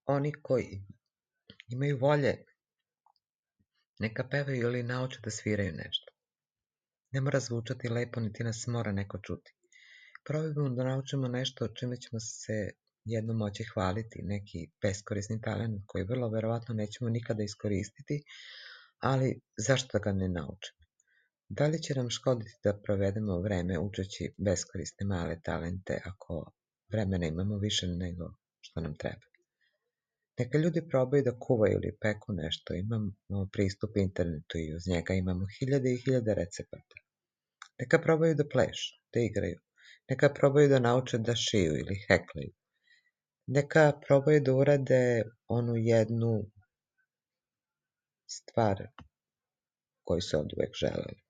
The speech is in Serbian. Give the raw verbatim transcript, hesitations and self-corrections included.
oni koji imaju volje, neka pevaju ili nauče da sviraju nešto. Ne mora zvučati lepo, niti nas mora neko čuti. Probajmo da naučimo nešto čime ćemo se jednom moći hvaliti, neki beskorisni talent koji vrlo verovatno nećemo nikada iskoristiti, ali zašto ga ne naučimo? Da li će nam škoditi da provedemo vreme učeći beskorisne male talente ako vremena imamo više nego što nam treba? Neka ljudi probaju da kuvaju ili peku nešto, imamo pristup internetu i uz njega imamo hiljade i hiljade recepata. Neka probaju da plešu, da igraju, neka probaju da nauče da šiju ili heklaju. Neka probaju da urade onu jednu stvar koju su od uvek želeli.